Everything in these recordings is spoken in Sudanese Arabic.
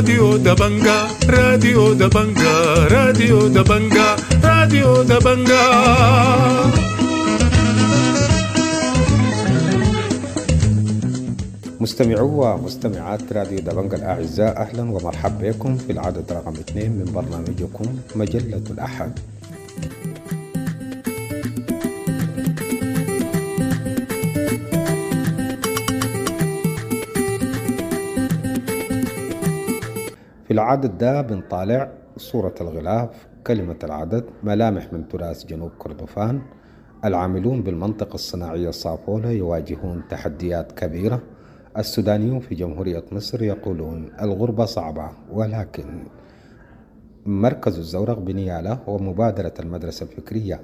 راديو دبنجا، راديو دبنجا، راديو دبنجا، راديو دبنجا. مستمعو ومستمعات راديو دبنجا الأعزاء، أهلا ومرحبا بكم في العدد رقم 2 من برنامجكم مجلة الأحد. في العدد ده بنطالع صورة الغلاف، كلمة العدد، ملامح من تراث جنوب كردفان، العاملون بالمنطقة الصناعية صافولا يواجهون تحديات كبيرة، السودانيون في جمهورية مصر يقولون الغربة صعبة، ولكن مركز الزورق بنيالا ومبادرة المدرسة الفكرية.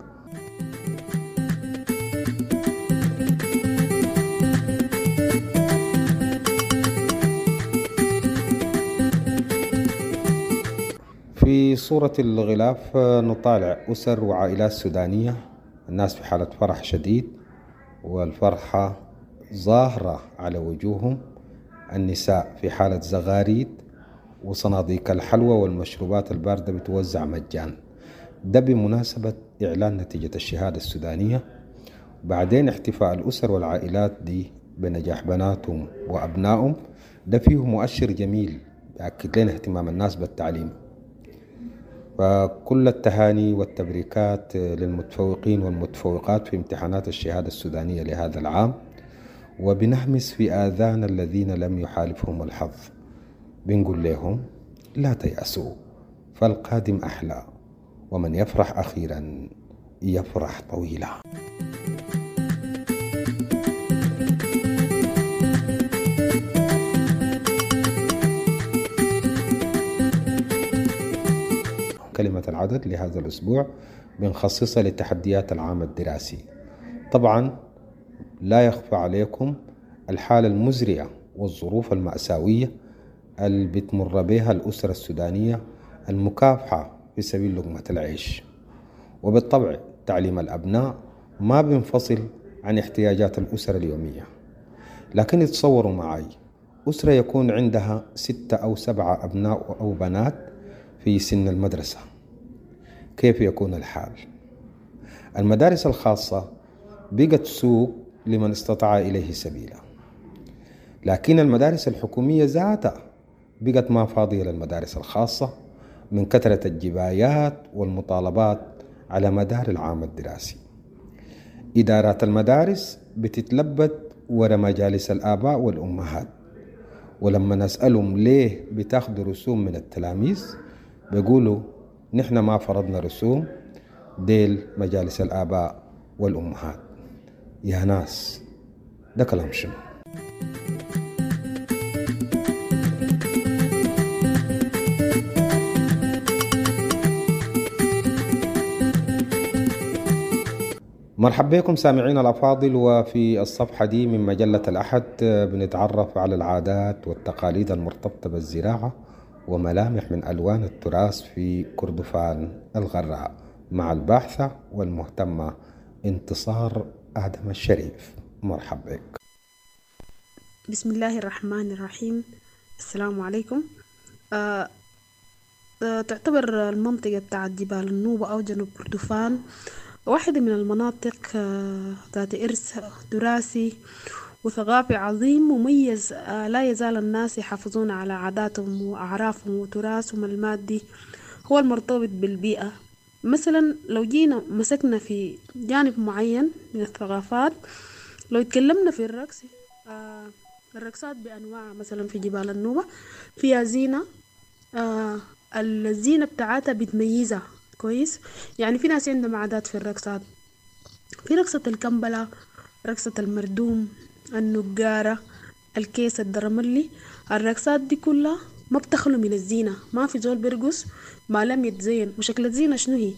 في صورة الغلاف نطالع أسر وعائلات سودانية، الناس في حالة فرح شديد والفرحة ظاهرة على وجوههم، النساء في حالة زغاريد وصناديق الحلوى والمشروبات الباردة بتوزع مجان، ده بمناسبة إعلان نتيجة الشهادة السودانية. بعدين احتفاء الأسر والعائلات دي بنجاح بناتهم وأبنائهم، ده فيه مؤشر جميل يأكد لنا اهتمام الناس بالتعليم. فكل التهاني والتبريكات للمتفوقين والمتفوقات في امتحانات الشهادة السودانية لهذا العام، وبنهمس في آذان الذين لم يحالفهم الحظ، بنقول لهم لا تيأسوا فالقادم أحلى، ومن يفرح أخيرا يفرح طويلا. كلمة العدد لهذا الأسبوع بنخصصها لتحديات العام الدراسي. طبعا لا يخفى عليكم الحالة المزرية والظروف المأساوية اللي بتمر بها الأسرة السودانية المكافحة في سبيل لقمة العيش، وبالطبع تعليم الأبناء ما بينفصل عن احتياجات الأسرة اليومية. لكن يتصوروا معي أسرة يكون عندها 6 أو 7 أبناء أو بنات في سن المدرسة، كيف يكون الحال؟ المدارس الخاصة بقت سوق لمن استطاع إليه سبيلا، لكن المدارس الحكومية ذاتها بقت ما فاضية للمدارس الخاصة من كثرة الجبايات والمطالبات على مدار العام الدراسي. إدارات المدارس بتتلبد ورا مجالس الآباء والأمهات، ولما نسألهم ليه بتاخدوا رسوم من التلاميذ بيقولوا نحن ما فرضنا رسوم، ديل مجالس الآباء والأمهات. يا ناس ده كلام شنو؟ مرحبا بكم سامعين الأفاضل، وفي الصفحة دي من مجلة الأحد بنتعرف على العادات والتقاليد المرتبطة بالزراعة وملامح من ألوان التراث في كردفان الغراء مع الباحثة والمهتمة انتصار آدم الشريف. مرحبا بك. بسم الله الرحمن الرحيم. السلام عليكم. تعتبر المنطقة بتاعت جبال النوبة أو جنوب كردفان واحدة من المناطق ذات إرث تراثي وثقافي عظيم مميز، لا يزال الناس يحافظون على عاداتهم وأعرافهم وتراثهم المادي هو المرتبط بالبيئة. مثلا لو جينا مسكنا في جانب معين من الثقافات، لو اتكلمنا في الرقص، الرقصات بأنواعها مثلا في جبال النوبة فيها زينة، الزينة بتاعتها بتميزها كويس. يعني في ناس عندهم عادات في الرقصات، في رقصة الكمبلة، رقصة المردوم، النقارة، الكيس الدرملي. الرقصات دي كلها ما بتخلو من الزينة، ما في زول بيرقص ما لم يتزين. وشكل الزينة شنو هي؟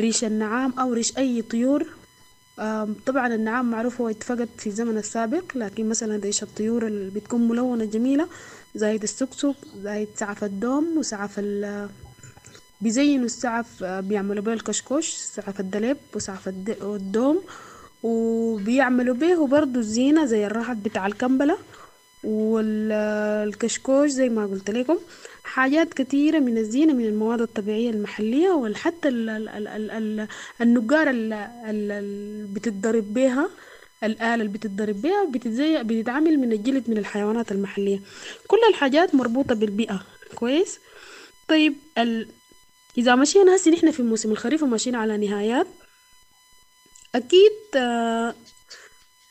ريش النعام أو ريش أي طيور. طبعا النعام معروف هو اتفقد في الزمن السابق، لكن مثلا ريش الطيور اللي بتكون ملونة جميلة، زايد السكسك، زايد سعف الدوم وسعف بيزينوا السعف، بيعملوا به الكشكوش، سعف الدليب وسعف الدوم، وبيعملوا به برضو الزينة زي الرهط بتاع الكمبلة والكشكوش زي ما قلت لكم. حاجات كثيرة من الزينة من المواد الطبيعية المحلية، وحتى النقارة اللي بتتضرب بها، الآلة اللي بتتضرب بها بتتعمل من الجلد من الحيوانات المحلية. كل الحاجات مربوطة بالبيئة. كويس. طيب إذا مشينا هسي نحن في موسم الخريف وماشيين على نهايات، أكيد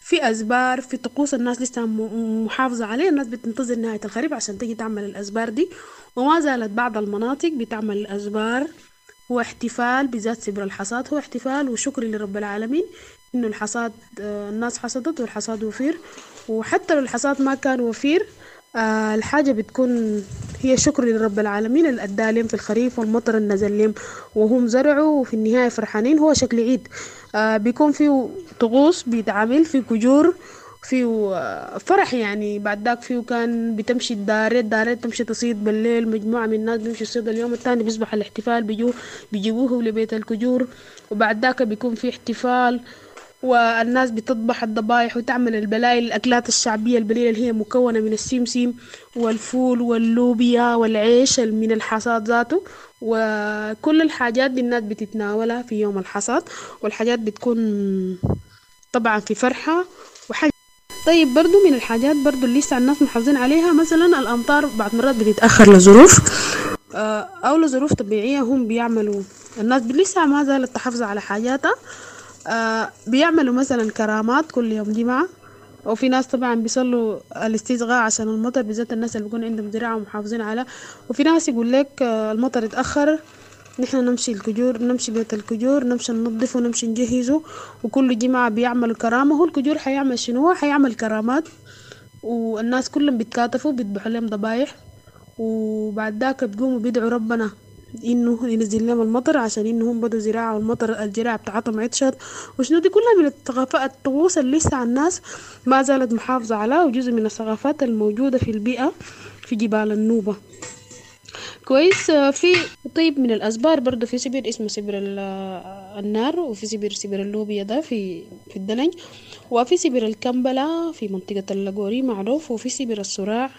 في أزبار، في طقوس الناس لسه محافظة عليها. الناس بتنتظر نهاية الخريف عشان تيجي تعمل الأزبار دي، وما زالت بعض المناطق بتعمل الأزبار. هو احتفال بذات سبر الحصاد، هو احتفال وشكر لرب العالمين إنه الحصاد، الناس حصدت والحصاد وفير. وحتى لو الحصاد ما كان وفير، الحاجة بتكون هي شكر لرب العالمين اللي أدى لهم في الخريف والمطر اللي نزل لهم وهم زرعوا، وفي النهاية فرحانين. هو شكل عيد، بيكون فيه طقوس بيتعمل، فيه كجور، فيه فرح يعني. بعد ذاك فيه كان بتمشي الدارات تمشي تصيد بالليل، مجموعة من الناس بيمشي يصيد. اليوم الثاني بيصبح الاحتفال، بيجيبوه لبيت الكجور، وبعد ذاك بيكون في احتفال والناس بتطبح الضبايح وتعمل البلايل، الأكلات الشعبية البليلة اللي هي مكونة من السمسم والفول واللوبيا والعيش من الحصاد ذاته، وكل الحاجات دي الناس بتتناولها في يوم الحصاد، والحاجات بتكون طبعا في فرحة وحاجة. طيب برضو من الحاجات برضو اللي لسه الناس محافظين عليها، مثلا الأمطار بعض مرات بتتأخر لظروف أو لظروف طبيعية، هم بيعملوا الناس لسه ما زالت تحافظ على حاجاتها، بيعملوا مثلا كرامات كل يوم جمعة، وفي ناس طبعا بيصلوا الاستسقاء عشان المطر، بالذات الناس اللي بيكون عندهم زراعة ومحافظين على. وفي ناس يقول لك المطر اتأخر، نحن نمشي الكجور، نمشي بيت الكجور، نمشي ننظفه ونمشي نجهزه، وكل جمعة بيعملوا كرامة. هو الكجور حيعمل شنو؟ حيعمل كرامات، والناس كلهم بيتكاتفوا بيذبحوا لهم ضبايح، وبعد ذاك بيقوموا بيدعوا ربنا انه ينزل لهم المطر عشان انهم بدوا زراعة والمطر الزراعة بتاعتهم عطشت وشنو. دي كلها من الثقافات الطقوس اللي لسه الناس ما زالت محافظة عليها، وجزء من الثقافات الموجودة في البيئة في جبال النوبة. كويس. في طيب من الأزبار برضو في سبر اسمه سبر النار، وفي سبر اللوبيا ده في الدلنج، وفي سبر الكمبلة في منطقة اللقوري معروف، وفي سبر الصراع.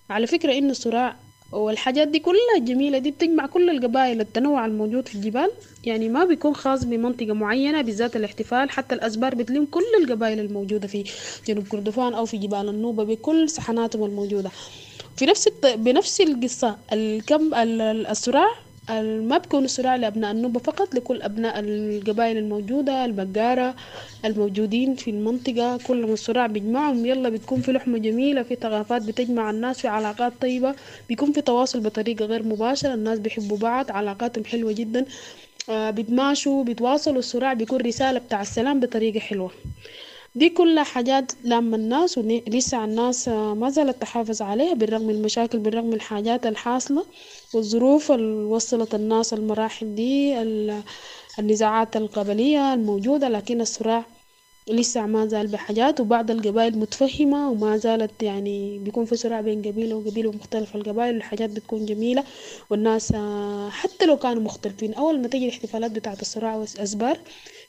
على فكرة إنه الصراع والحاجات دي كلها الجميلة دي بتجمع كل القبائل، التنوع الموجود في الجبال، يعني ما بيكون خاص بمنطقة معينة بالذات الاحتفال. حتى الأزبار بتلم كل القبائل الموجودة في جنوب كردفان أو في جبال النوبة بكل سحناتهم الموجودة. في نفس بنفس القصة الصراع ما بيكون الصراع لأبناء النوبة فقط، لكل أبناء القبائل الموجودة، البقارة الموجودين في المنطقة، كل ما الصراع بيجمعهم يلا بتكون في لحمة جميلة، في ثقافات بتجمع الناس، في علاقات طيبة، بيكون في تواصل بطريقة غير مباشرة، الناس بيحبوا بعض، علاقاتهم حلوة جدا، بيتماشوا بيتواصلوا. الصراع بيكون رسالة بتاع السلام بطريقة حلوة. دي كلها حاجات لما الناس ولسه الناس ما زالت تحافظ عليها بالرغم من المشاكل، بالرغم من الحاجات الحاصلة والظروف اللي وصلت الناس المراحل دي، النزاعات القبلية الموجودة، لكن الصراع لسه ما زال بحاجات، وبعض القبائل متفهمة وما زالت يعني بيكون في صراع بين قبيلة وقبيلة ومختلف القبائل، والحاجات بتكون جميلة، والناس حتى لو كانوا مختلفين أول ما تجي الاحتفالات بتاعة الصراع والأزبار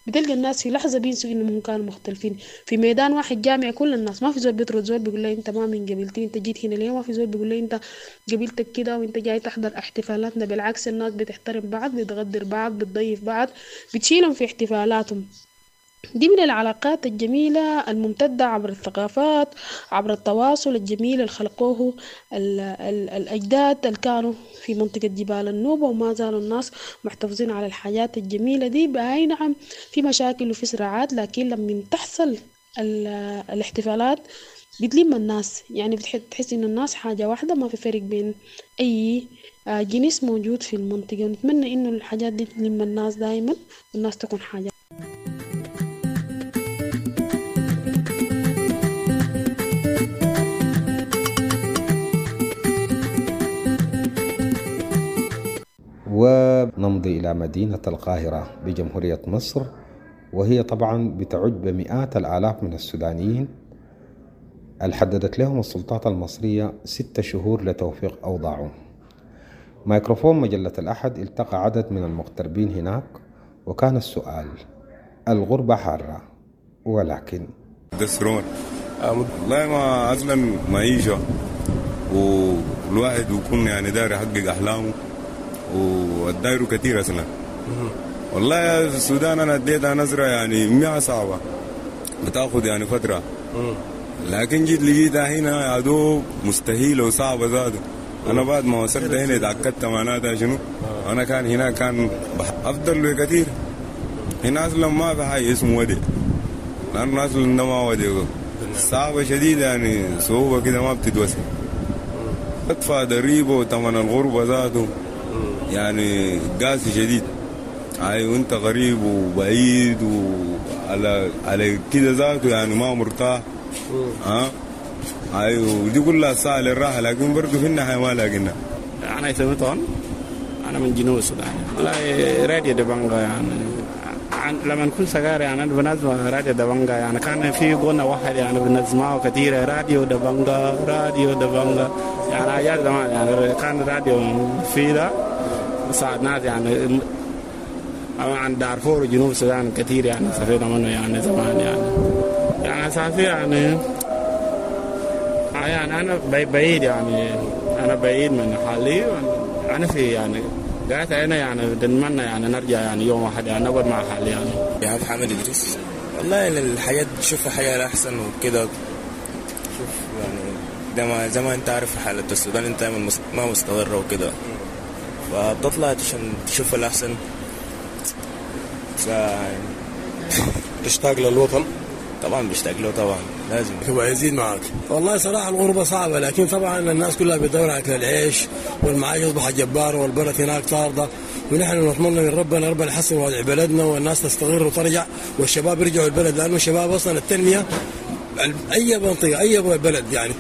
بتلقى الناس في لحظة بينسوا إنهم كانوا مختلفين. في ميدان واحد جامع كل الناس، ما في زول بيطرد زول بيقول له أنت ما من قبيلتي، أنت جيت هنا ليه، ما في زول بيقول له أنت قبيلتك كده وأنت جاي تحضر احتفالاتنا. بالعكس الناس بتحترم بعض، بتغدر بعض، بتضيف بعض، بتشيلهم في احتفالاتهم. دي من العلاقات الجميلة الممتدة عبر الثقافات، عبر التواصل الجميل اللي خلقوه الأجداد اللي كانوا في منطقة جبال النوبة، وما زالوا الناس محتفظين على الحاجات الجميلة دي. بأي نعم في مشاكل وفي صراعات، لكن لما تحصل الاحتفالات بتلم الناس، يعني بتحس إن الناس حاجة واحدة، ما في فرق بين أي جنس موجود في المنطقة. ونتمنى إنه الحاجات دي تلم الناس دايما والناس تكون حاجة. ونمضي إلى مدينة القاهرة بجمهورية مصر، وهي طبعا بتعج بمئات الآلاف من السودانيين اللي حددت لهم السلطات المصرية 6 شهور لتوفيق أوضاعهم. ميكروفون مجلة الأحد التقى عدد من المغتربين هناك، وكان السؤال: الغربة حارة، ولكن دسرون والله ما أصلا معيشة والواحد بيكون يعني داير يحقق احلامه والدايره كتير اصلا. والله في السودان انا اديتها نظره يعني ما صعبة، بتاخد يعني فترة، لكن جيت لقيتها هنا يا دوب مستحيلة وصعبة ذاته. انا بعد ما وصلت هنا اتاكدت معناتها شنو. انا كان هنا كان افضل بكثير. هنا اصلا ما في حاجة اسمه ودي، لانه اصلا ده ما ودي، صعبة شديدة يعني صعوبة كده ما بتتوصف. تدفع ضريبة وثمن الغربة ذاته يعني قاسي شديد. اي وانت غريب وبعيد وعلى على كده ذاته يعني ما مرتاح. ها ايوه، ودي كلها ساعة للراحة، لكن برضه في النهاية ما لاقينا. أنا اسمي طون، أنا من جنوب السودان. والله راديو دبنجا يعني لما كنت صغير يعني أنا بنسمع راديو دبنجا، يعني كان في غنى واحد يعني بنسمعه كثير، راديو دبنجا راديو دبنجا، يعني أيام زمان يعني كان راديو في ده ساعد ناس يعني عن دارفور وجنوب السودان كثير يعني استفدنا منه يعني زمان يعني أساسي يعني يعني أنا بعيد يعني أنا بعيد من حالي، أنا في يعني قاعد هنا يعني بنتمنى يعني نرجع يعني يوم واحد يعني نقعد مع حالي يعني. يا محمد إدريس، والله الحياة تشوف حياة أحسن وكده. شوف يعني ده ما زي ما أنت عارف حالة السودان أنت ما مستقرة وكده، فبتطلع عشان تشوف الأحسن. تشتاق للوطن؟ طبعا بشتاق له، طبعا لازم. هو يزيد معك. والله صراحة الغربة صعبة، لكن طبعا الناس كلها بتدور على العيش والمعايش أصبحت جبارة والبلد هناك طاردة، ونحن نتمنى من ربنا ربنا يحسن وضع بلدنا والناس تستقر وترجع والشباب يرجعوا البلد، لأنه الشباب أصلا التنمية أي منطقة أي بلد يعني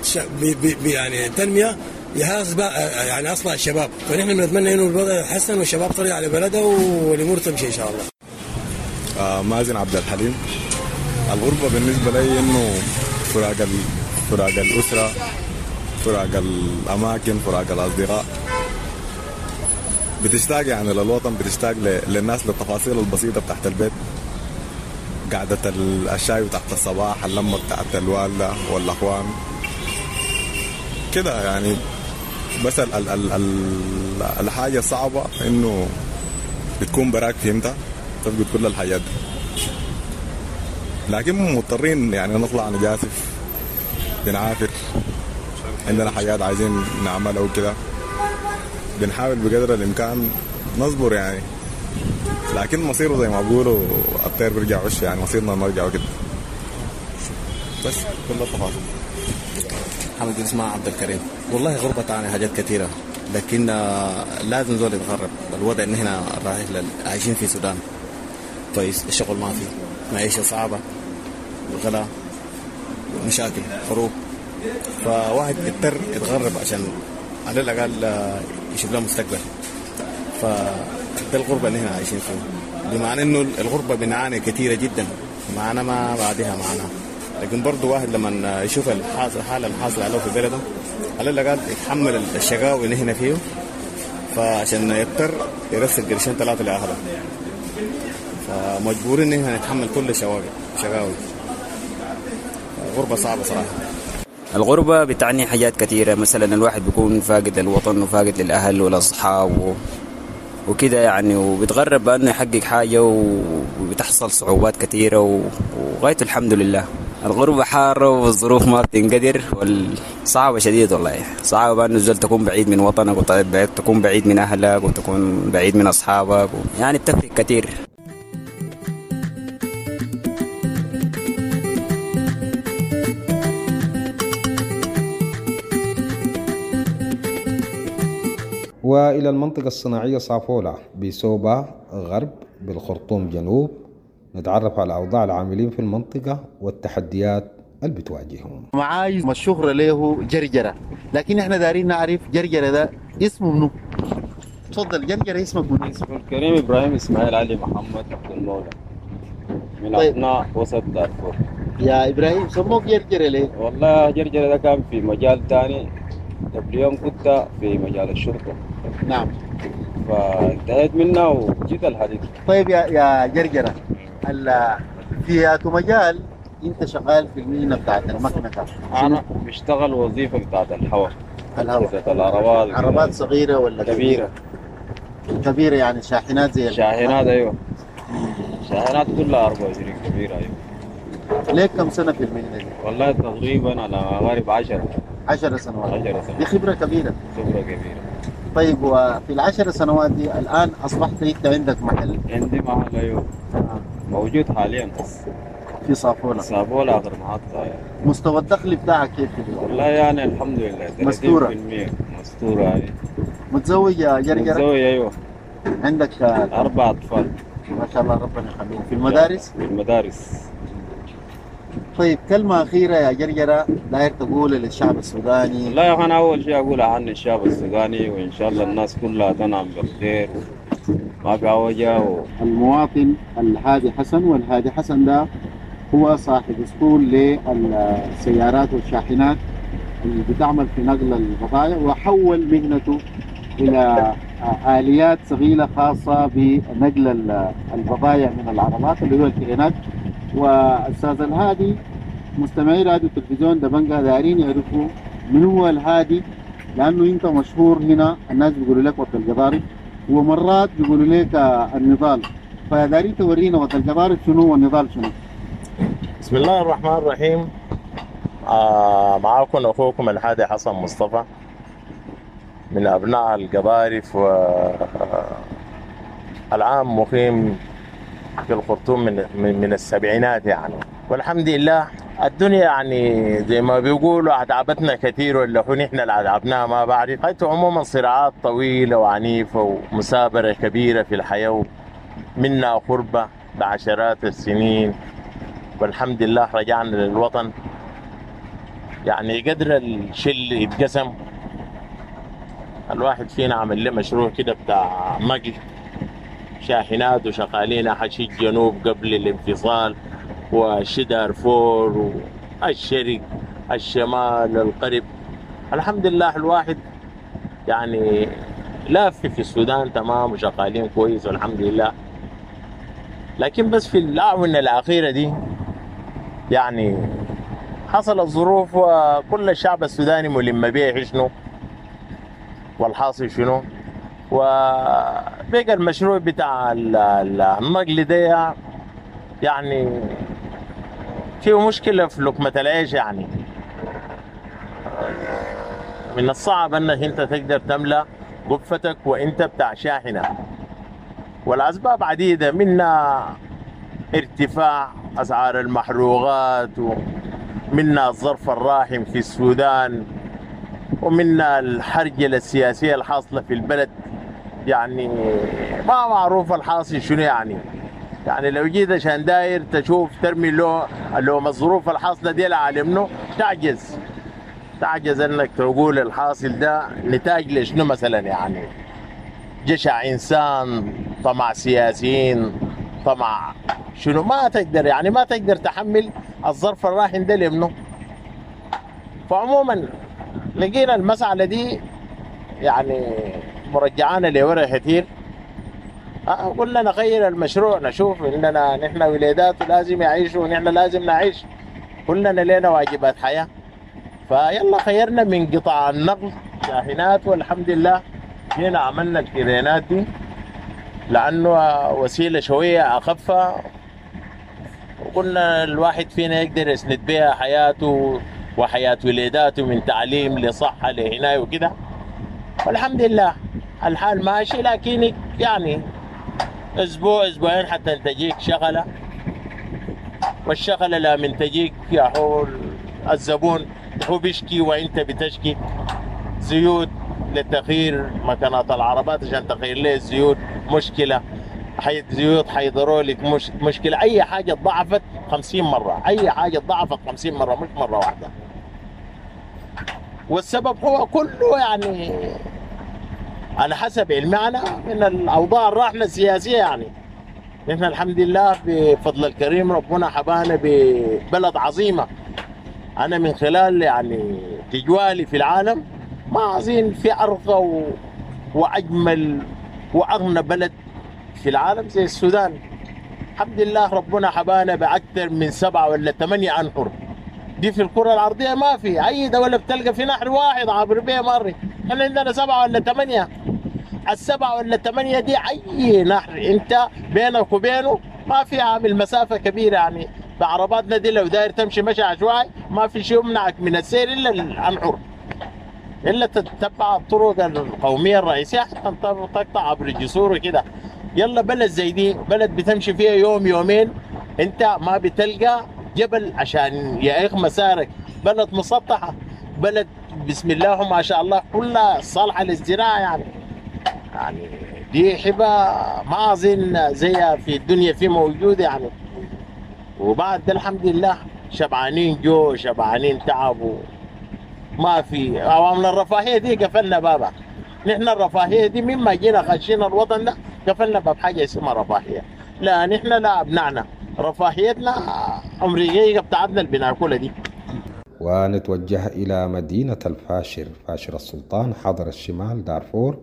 يعني التنمية يهاز يعني أصلا الشباب، فنحن بنتمنى إنه الوضع يتحسن والشباب ترجع لبلدها والأمور تمشي إن شاء الله. مازن عبد الحليم. الغربة بالنسبة لي إنه فراق الأسرة، فراق الأماكن، فراق الأصدقاء. بتشتاق يعني للوطن، بتشتاق للناس، للتفاصيل البسيطة بتاعت البيت، قعدة الشاي بتاعت الصباح، اللمة بتاعت الوالدة والأخوان كده يعني. بس ال ال ال الحاجة الصعبة إنه بتكون براك، فهمتها، تفقد كل الحاجات دي، لكن مضطرين يعني نطلع نجاسف، بنعافر، عندنا حاجات عايزين نعملها وكده، بنحاول بقدر الامكان نصبر يعني، لكن مصيره زي ما بيقولوا الطير بيرجع عش، يعني مصيرنا نرجع وكده. بس كل التفاصيل. محمد اسمه عبد الكريم. والله غربة تعني حاجات كثيرة، لكن لازم زول يتغرب. الوضع ان هنا رايح عايشين في السودان كويس، الشغل ما في، معيشة صعبة، غلا، مشاكل، حروب، فواحد اضطر يتغرب عشان على الأقل يشوف له مستقبل. فده الغربة اللي هنا عايشين فيه، بمعنى إنه الغربة بنعاني كثيرة جدا، معنا ما بعدها معنا، لكن برضه واحد لما يشوف الحالة الحاصلة عليه في بلده على الأقل يتحمل الشقاوة اللي هنا فيه، فعشان يضطر يرسل قرشين ثلاثة لأهله، فمجبورين إن احنا نتحمل كل شقاوي. غربة صعبة صراحة. الغربة بتعني حاجات كثيرة، مثلا الواحد بيكون فاقد للوطن وفاقد للأهل والأصحاب وكده يعني، وبيتغرب بأنه يحقق حاجة وبتحصل صعوبات كثيرة وغاية الحمد لله. الغربة حارة والظروف ما بتنقدر والصعبة شديد والله، صعبة بأنه الزول تكون بعيد من وطنك وتكون بعيد من أهلك وتكون بعيد من أصحابك يعني بتفرق كثير. وإلى المنطقة الصناعية صافولا بسوبا غرب بالخرطوم جنوب، نتعرف على أوضاع العاملين في المنطقة والتحديات اللي بتواجههم. معاي الشهرة له جرجرة، لكن احنا دارين نعرف جرجرة ده اسمه منو. تفضل جرجرة، اسمك منو؟ اسمه الكريم إبراهيم إسماعيل علي محمد عبد المولى، من طيب. أبناء وسط دارفور. يا إبراهيم سموك جرجرة ليه؟ والله جرجرة ده كان في مجال تاني، قبل يوم كنت في مجال الشرطة. نعم. فانتهيت منها وجيت الحديث. طيب يا جرجرة، في مجال انت شغال في المهنة بتاعت المكنسة؟ انا بشتغل وظيفة بتاعت الحوار. الهواء. أجهزة العربات. عربات صغيرة ولا كبيرة؟ كبيرة يعني شاحنات زي شاحنات، ايوه، شاحنات كلها 24 كبيرة، ايوه. ليك كم سنة في المهنة دي؟ والله تقريبا على قارب 10. 10 سنوات. 10 سنوات. دي خبرة كبيرة. خبرة كبيرة. طيب، وفي ال10 سنوات دي الآن أصبحت أنت عندك محل؟ عندي محل، ايوه، موجود حاليا بس في صافولا. صافولا آخر محطة، أيوة. مستوى الدخل بتاعك كيف في الوقت؟ والله يعني الحمد لله. مستورة. 30%. مستورة، أيوة. متزوج يا جرجرة؟ متزوج، أيوة. عندك أربع أطفال. ما شاء الله، ربنا يخليهم. في المدارس؟ في المدارس. طيب، كلمة أخيرة يا جرجرة داير تقولها للشعب السوداني. والله يا أخي، أنا أول شيء أقول أهني الشعب السوداني، وإن شاء الله الناس كلها تنعم بالخير، ما في عوجة المواطن الهادي حسن، والهادي حسن ده هو صاحب اسطول للسيارات والشاحنات اللي بتعمل في نقل البضائع، وحول مهنته الى اليات ثقيلة خاصة بنقل البضائع من العربات اللي هو الكرينات. واستاذ الهادي، مستمعي راديو التلفزيون دبنجا دارين يعرفوا من هو الهادي، لانه انت مشهور هنا، الناس بيقولوا لك ود القضارف، ومرات بيقولوا لك النضال، فدارين تورينا ود القضارف شنو والنضال شنو. بسم الله الرحمن الرحيم. معاكم أخوكم الهادي حسن مصطفى من أبناء القضارف، والعام مقيم في الخرطوم من السبعينات يعني، والحمد لله الدنيا يعني زي ما بيقولوا أتعبتنا كثير، ولا هو نحن اللي أتعبناها ما بعرف. حيث عموما صراعات طويلة وعنيفة ومثابرة كبيرة في الحياة، منا غربة بعشرات السنين، والحمد لله رجعنا للوطن. يعني قدر الشل يتقسم، الواحد فينا عمل له مشروع كده بتاع نقل شاحنات، وشغالين حشي الجنوب قبل الانفصال وشي دارفور والشرق الشمال الغرب. الحمد لله الواحد يعني لاف في السودان تمام، وشغالين كويس والحمد لله. لكن بس في الآونة الأخيرة دي يعني حصلت ظروف، وكل الشعب السوداني ملم بيه شنو والحاصل شنو، وبقى المشروع بتاع النقل ده يعني فيه مشكلة في لقمة العيش. يعني من الصعب انك انت تقدر تملأ قفتك وانت بتاع شاحنة، والاسباب عديدة، منها ارتفاع اسعار المحروقات، ومنها الظرف الراهن في السودان، ومنها الحرجلة السياسية الحاصلة في البلد. يعني ما معروف الحاصل شنو. يعني لو جيت عشان داير تشوف ترمي لو الظروف الحاصلة دي على منه، تعجز انك تقول الحاصل ده نتاج لشنو مثلا. يعني جشع انسان، طمع سياسيين، طمع شنو، ما تقدر يعني ما تقدر تحمل الظرف الراهن ده لمنه. فعموما لقينا المسألة دي يعني مرجعانا لورا كثير. قلنا نغير المشروع، نشوف اننا نحن وليدات لازم يعيشوا ونحن لازم نعيش، كلنا لنا واجبات حياة. فيلا خيرنا من قطاع النقل شاحنات، والحمد لله جينا عملنا الكرينات دي لأنه وسيلة شوية أخف، وقلنا الواحد فينا يقدر يسند بها حياته وحياة وليداته من تعليم لصحة لهنا وكده. والحمد لله الحال ماشي، لكن يعني اسبوع اسبوعين حتى تجيك شغله، والشغله لا من تجيك يا هو الزبون هو بيشكي وانت بتشكي. زيوت للتغيير مكانات العربات عشان تغير ليه الزيوت مشكلة، زيوت هيدروليك مش مشكله، اي حاجة ضعفت 50 مرة، اي حاجة ضعفت 50 مرة مش مرة واحدة. والسبب هو كله يعني على حسب علمي أنا من الاوضاع الراهنة السياسية. يعني نحن الحمد لله بفضل الكريم ربنا حبانا ببلد عظيمة. انا من خلال يعني تجوالي في العالم ما اظن في ارقى واجمل واغنى بلد في العالم زي السودان. الحمد لله ربنا حبانا باكثر من 7 ولا 8 انهر. دي في الكرة الأرضية ما في أي دولة بتلقى في نهر واحد عابر بيه مرة. احنا عندنا 7 ولا 8، ال7 ولا 8 دي أي نهر أنت بينك وبينه ما في عامل مسافة كبيرة يعني. بعرباتنا دي لو داير تمشي مشي عشوائي ما في شيء يمنعك من السير إلا الأنحر، إلا تتبع الطرق القومية الرئيسية حتى تقطع عبر الجسور وكده. يلا بلد زي دي، بلد بتمشي فيها يوم يومين انت ما بتلقى جبل عشان يعيق مسارك، بلد مسطحة، بلد بسم الله وما شاء الله كلها صالحة للزراعة يعني. يعني دي حبة ما أظن زيها في الدنيا في موجودة يعني. وبعد ده الحمد لله شبعانين جو، شبعانين تعب، ما في عوامل الرفاهية دي قفلنا بابها. نحن الرفاهية دي مما جينا خشينا الوطن ده قفلنا باب حاجة اسمها رفاهية. لا نحن لا أبنائنا رفاهيتنا أمريكية بتاعتنا اللي بناكلها دي. ونتوجه إلى مدينة الفاشر، فاشر السلطان، حاضر الشمال دارفور،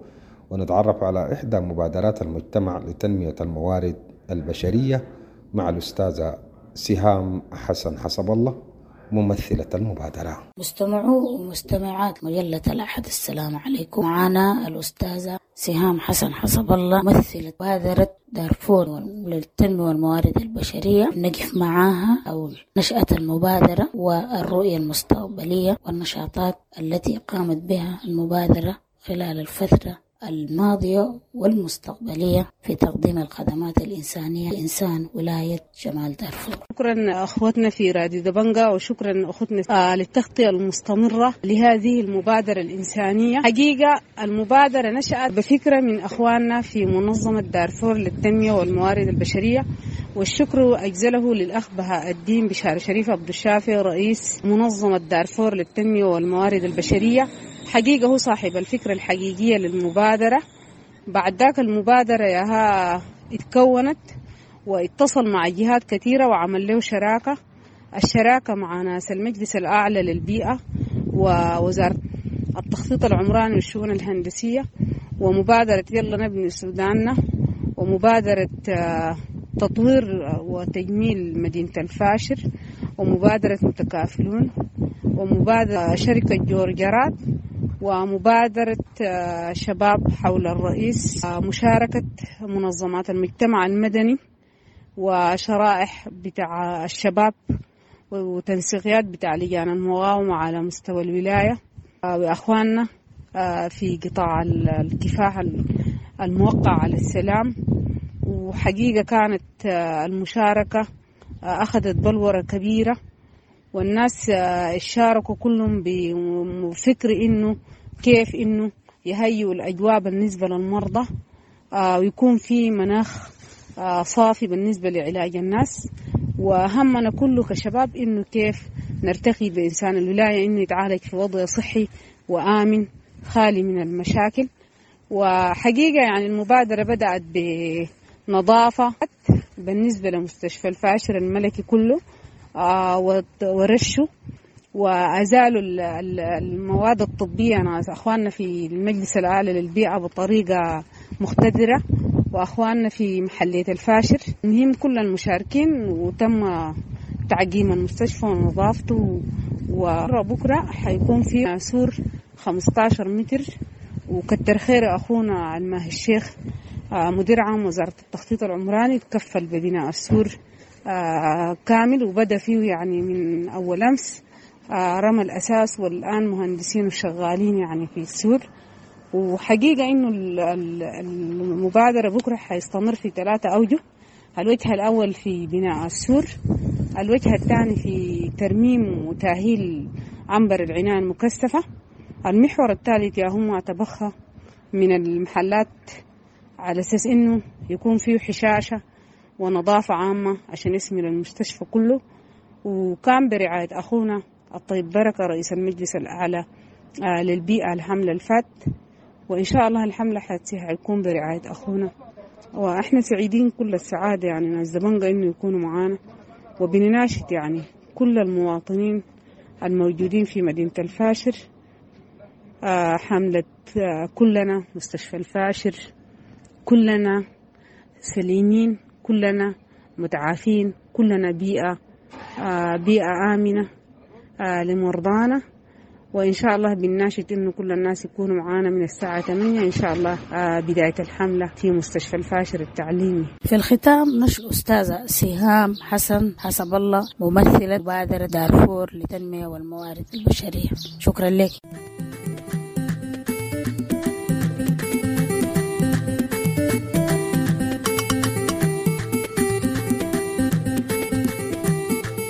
ونتعرف على إحدى مبادرات المجتمع لتنمية الموارد البشرية مع الأستاذة سهام حسن حسب الله ممثلة المبادرة. مستمعو ومستمعات مجلة الأحد، السلام عليكم. معنا الأستاذة سهام حسن حسب الله ممثلة مبادرة دارفور للتنمية والموارد البشرية. نقف معاها أو نشأة المبادرة والرؤية المستقبلية والنشاطات التي قامت بها المبادرة خلال الفترة الماضية والمستقبلية في تقديم الخدمات الإنسانية لإنسان ولاية شمال دارفور. شكرا أخوتنا في راديو دبنجا، وشكرا أخوتنا للتغطية المستمرة لهذه المبادرة الإنسانية. حقيقة المبادرة نشأت بفكرة من أخواننا في منظمة دارفور للتنمية والموارد البشرية، والشكر أجزله للأخ بهاء الدين بشار شريف عبد الشافي رئيس منظمة دارفور للتنمية والموارد البشرية. حقيقة هو صاحب الفكرة الحقيقية للمبادرة. بعد ذاك المبادرة ياها اتكونت واتصل مع جهات كثيرة وعمل له شراكة، الشراكة مع ناس المجلس الأعلى للبيئة ووزارة التخطيط العمراني والشؤون الهندسية، ومبادرة يلا نبني سوداننا، ومبادرة تطوير وتجميل مدينة الفاشر، ومبادرة متكافلون، ومبادرة شركة جورجرات، ومبادرة شباب حول الرئيس، مشاركة منظمات المجتمع المدني وشرائح بتاع الشباب وتنسيقيات بتاع لجان المقاومة على مستوى الولاية، وأخواننا في قطاع الكفاح الموقع على السلام. وحقيقة كانت المشاركة أخذت بلورة كبيرة، والناس شاركوا كلهم بفكر إنه كيف إنه يهيئوا الأجواء بالنسبة للمرضى، ويكون في مناخ صافي بالنسبة لعلاج الناس. وهمنا كله كشباب إنه كيف نرتقي بإنسان الولاية إنه يتعالج في وضع صحي وآمن خالي من المشاكل. وحقيقة يعني المبادرة بدأت بنظافة بالنسبة لمستشفى الفاشر الملكي كله، ورشوا وأزالوا المواد الطبية ناس أخواننا في المجلس الأعلى للبيئة بطريقة مقتدرة، وأخواننا في محلية الفاشر. المهم كل المشاركين، وتم تعقيم المستشفى ونظافته. وبكرة حيكون في سور 15 متر. وكتر خير أخونا الماهي الشيخ مدير عام وزارة التخطيط العمراني تكفل ببناء السور كامل، وبدأ فيه يعني من أول أمس رمى الأساس، والآن مهندسين وشغالين يعني في السور. وحقيقة إنه المبادرة بكرة حيستمر في 3 أوجه. الوجه الأول في بناء السور، الوجه الثاني في ترميم وتأهيل عنبر العناية المكثفة، المحور الثالث يا هم تبخى من المحلات على أساس إنه يكون فيه حشاشة ونظافة عامة عشان يشمل المستشفى كله. وكان برعاية أخونا الطيب بركة رئيس المجلس الأعلى للبيئة الحملة الفات، وإن شاء الله الحملة حيكون برعاية أخونا. وإحنا سعيدين كل السعادة يعني ناس دبنجا إنه يكونوا معانا، وبنناشد يعني كل المواطنين الموجودين في مدينة الفاشر حملة كلنا مستشفى الفاشر، كلنا سليمين، كلنا متعافين، كلنا بيئة آمنة. لمرضانا، وإن شاء الله بنناشد إنه كل الناس يكونوا معانا من الساعة 8 إن شاء الله بداية الحملة في مستشفى الفاشر التعليمي. في الختام نشكر أستاذة سهام حسن حسب الله، ممثلة مبادرة دارفور للتنمية والموارد البشرية. شكرا لك.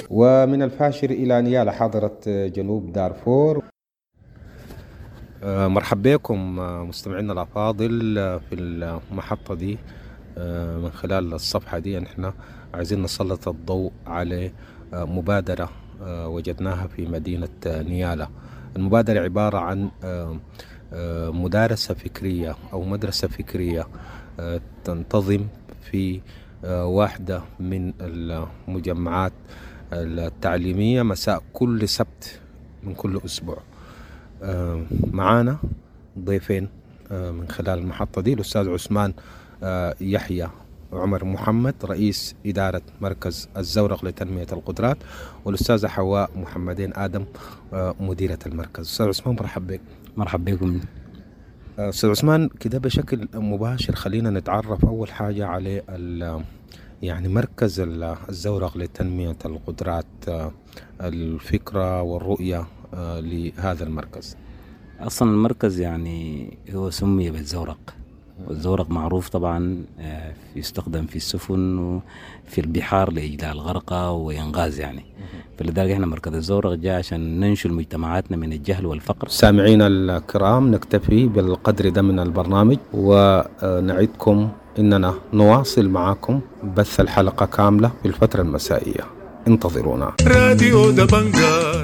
ومن الفاشر إلى نيالا حاضرة جنوب دارفور. مرحب بكم مستمعينا الأفاضل في المحطة دي. من خلال الصفحة دي نحن عايزين نسلط الضوء على مبادرة وجدناها في مدينة نيالا. المبادرة عبارة عن مدارسة فكرية أو مدرسة فكرية تنتظم في واحدة من المجمعات التعليمية مساء كل سبت من كل أسبوع. معانا ضيفين من خلال المحطة دي، الأستاذ عثمان يحيى عمر محمد رئيس إدارة مركز الزورق لتنمية القدرات، والأستاذة حواء محمدين آدم مديرة المركز. أستاذ عثمان مرحب بك. مرحب بكم. أستاذ عثمان، كده بشكل مباشر خلينا نتعرف أول حاجة على يعني مركز الزورق لتنمية القدرات، الفكرة والرؤية لهذا المركز. أصلا المركز يعني هو سمي بالزورق، والزورق معروف طبعا يستخدم في السفن وفي البحار لإجلاء الغرقى وإنغاز يعني، فلذلك احنا مركز الزورق جاء عشان ننشل مجتمعاتنا من الجهل والفقر. سامعينا الكرام، نكتفي بالقدر ده من البرنامج، ونعدكم إننا نواصل معاكم بث الحلقة كاملة في الفترة المسائية. انتظرونا. راديو دبنجا.